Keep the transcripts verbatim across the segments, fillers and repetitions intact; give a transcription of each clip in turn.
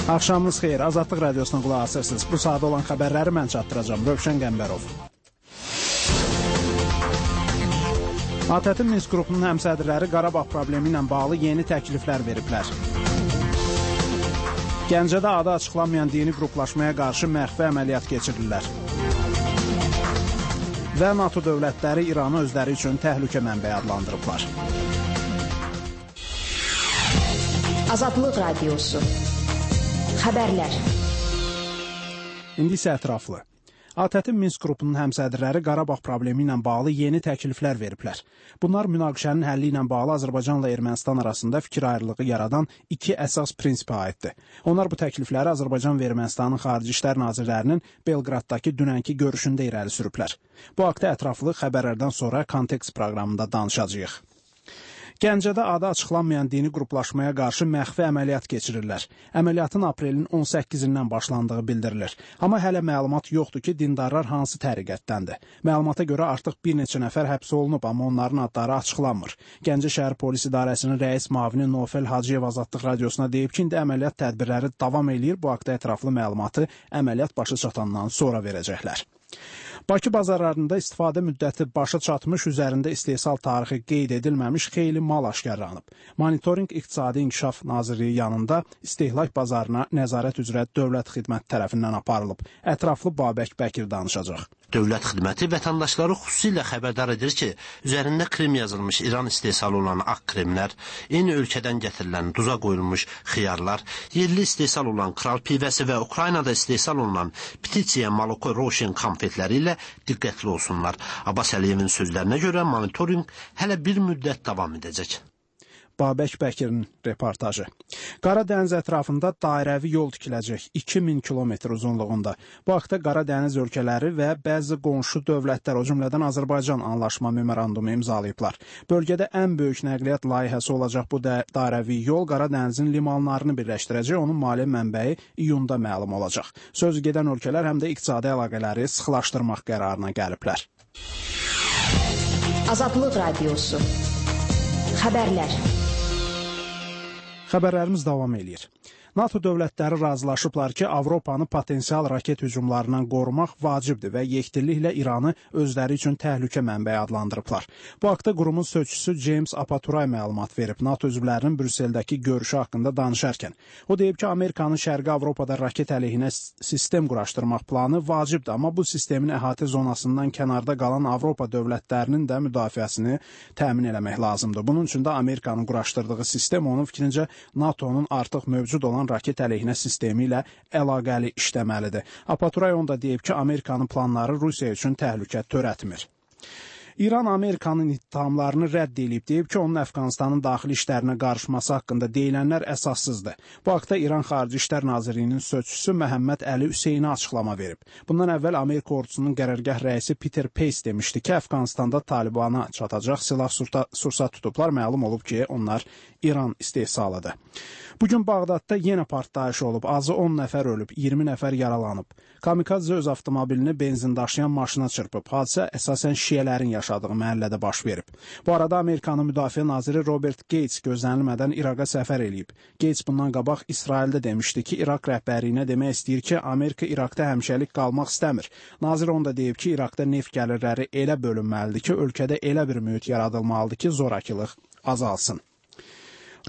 Axşamınız xeyir, Azadlıq Radiosuna qulaq asırsınız. Bu saat olan xəbərləri mən çatdıracağım, Rövşən Qəmbərov. ATƏT-in Minsk qrupunun həmsədrləri Qarabağ problemi ilə bağlı yeni təkliflər veriblər. Gəncədə adı açıqlanmayan dini qruplaşmaya qarşı məxfi əməliyyat keçirirlər. Və NATO dövlətləri İranı özləri üçün təhlükə mənbəyi adlandırıblar. Azadlıq Radiosu. Xəbərlər. İndi isə ətraflı. ATƏT-in Minsk qrupunun həmsədrləri Qarabağ problemi ilə bağlı yeni təkliflər veriblər. Bunlar münaqişənin həlli ilə bağlı Azərbaycanla Ermənistan arasında fikir ayrılığı yaradan iki əsas prinsipə aiddir. Onlar bu təklifləri Azərbaycan və Ermənistanın Xarici İşlər Nazirlərinin Belqraddakı dünənki görüşündə irəli sürüblər. Bu haqda ətraflı xəbərlərdən sonra Kontekst proqramında danışacağıq. Gəncədə adı açıqlanmayan dini qruplaşmaya qarşı məxfi əməliyyat keçirirlər. Əməliyyatın aprelin on səkkizindən başlandığı bildirilir. Amma hələ məlumat yoxdur ki, dindarlar hansı təriqətdəndir. Məlumata görə artıq bir neçə nəfər həbs olunub, amma onların adları açıqlanmır. Gəncə şəhər polis idarəsinin rəis müavini Nofel Hacıyev Azadlıq Radiosuna deyib ki, indi əməliyyat tədbirləri davam eləyir. Bu haqda ətraflı məlumatı əməliyyat başa çatandan sonra verəcəklər. Bakı bazarlarında istifadə müddəti başa çatmış, üzərində istehsal tarixi qeyd edilməmiş xeyli mal aşkarlanıb. Monitorinq İqtisadi İnkişaf Nazirliyi yanında istehlak bazarına nəzarət üzrə Dövlət Xidməti tərəfindən aparılıb. Ətraflı Babək Bəkir danışacaq. Dövlət Xidməti vətəndaşları xüsusilə xəbərdar edir ki, üzərində krem yazılmış İran istehsalı olan ağ kremlər, eyni ölkədən gətirilən duza qoyulmuş xiyarlar, yerli istehsal olan kral pivəsi və Ukraynada istehsal olunan Ptitsiya Maloko Roşin konfetləri ilə diqqətli olsunlar. Abbas Əliyevin sözlərinə görə monitorinq hələ bir müddət davam edəcək. Babək Bəkirin reportajı. Qara dəniz ətrafında dairəvi yol tikiləcək iki min kilometr uzunluğunda. Bu haqda Qara dəniz ölkələri və bəzi qonşu dövlətlər, o cümlədən Azərbaycan anlaşma memorandumu imzalayıblar. Bölgədə ən böyük nəqliyyat layihəsi olacaq bu dairəvi yol Qara dənizin limanlarını birləşdirəcək. Onun maliyyə mənbəyi iyunda məlum olacaq. Söz gedən ölkələr həm də iqtisadi əlaqələri sıxlaşdırmaq qərarına gəliblər. Azadlıq Radiosu. Xəbərlər. Xəbərlərimiz davam eləyir. NATO dövlətləri razılaşıblar ki, Avropanı potensial raket hücumlarından qorumaq vacibdir və yekdilliklə İranı özləri üçün təhlükə mənbəyi adlandırıblar. Bu haqda qurumun sözçüsü James Apaturay məlumat verib NATO üzvlərinin Brüsseldəki görüşü haqqında danışarkən. O deyib ki, Amerikanın Şərqi Avropada raket əleyhinə sistem quraşdırmaq planı vacibdir, amma bu sistemin əhatə zonasından kənarda qalan Avropa dövlətlərinin də müdafiəsini təmin eləmək lazımdır. Bunun üçün də Amerikanın quraşdırdığı sistem onun fikrincə NATO'nun artıq mövcud olan raket əleyhinə sistemi ilə əlaqəli işləməlidir. Apaturay onda deyib ki, Amerikanın planları Rusiya üçün təhlükə törətmir. İran Amerikanın ittihamlarını rədd edib, deyib ki, onun Əfqanistanın daxili işlərinə qarışması haqqında deyilənlər əsassızdır. Bu haqda İran Xarici İşlər Nazirliyinin sözçüsü Məhəmməd Əli Hüseyni açıqlama verib. Bundan əvvəl Amerika ordusunun qərargah rəisi Peter Pace demişdi ki, Əfqanistanda Talibana çatacaq silah sursat tutublar. Məlum olub ki, onlar İran istehsalıdır. Bugün Bağdadda yenə partlayış olub. Azı on nəfər ölüb, iyirmi nəfər yaralanıb. Kamikadze öz avtomobilini benzin daşıyan maşına çırpıb. Hadisə əsasən şiyələrin yaşadığı məhəllədə baş verib. Bu arada Amerikanın müdafiə naziri Robert Gates gözlənilmədən İraqa səfər eləyib. Gates bundan qabaq İsraildə demişdi ki, İraq rəhbərliyinə demək istəyir ki, Amerika İraqda həmişəlik qalmaq istəmir. Nazir onda deyib ki, İraqda neft gəlirləri elə bölünməlidir ki, ölkədə elə bir mühit yaradılmalıdır ki, zorakılıq azalsın.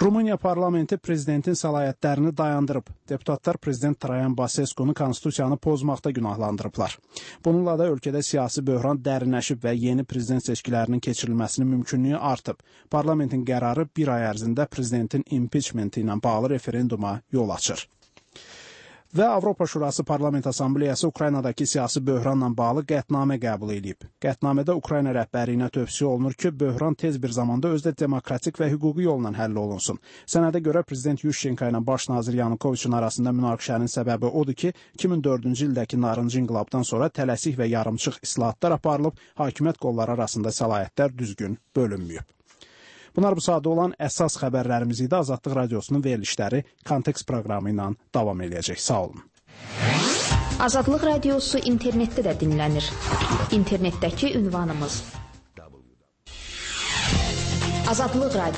Rumıniya parlamenti prezidentin səlahiyyətlərini dayandırıb. Deputatlar prezident Traian Basescu-nu konstitusiyanı pozmaqda günahlandırıblar. Bununla da ölkədə siyasi böhran dərinləşib və yeni prezident seçkilərinin keçirilməsinin mümkünlüyü artıb. Parlamentin qərarı bir ay ərzində prezidentin impeachmenti ilə bağlı referenduma yol açır. Və Avropa Şurası Parlament Assambleyası Ukraynadakı siyasi böhranla bağlı qətnamə qəbul edib. Qətnamədə Ukrayna rəhbərliyinə tövsiyə olunur ki, böhran tez bir zamanda özdə demokratik və hüquqi yolla həll olunsun. Sənədə görə Prezident Yushchenko ilə baş nazir Yanukoviçin arasında münaqişənin səbəbi odur ki, iki min dördüncü ildəki narıncı inqilabdan sonra tələsik və yarımçıq islahatlar aparılıb, hakimiyyət qolları arasında səlahiyyətlər düzgün bölünməyib. Bunlar bu saatda olan əsas xəbərlərimiz idi. Azadlıq Radiosunun verilişləri Kontekst proqramı ilə davam edəcək. Sağ olun. Azadlıq Radiosu internetdə də dinlənir. İnternetdəki ünvanımız Azadlıq Radiosu.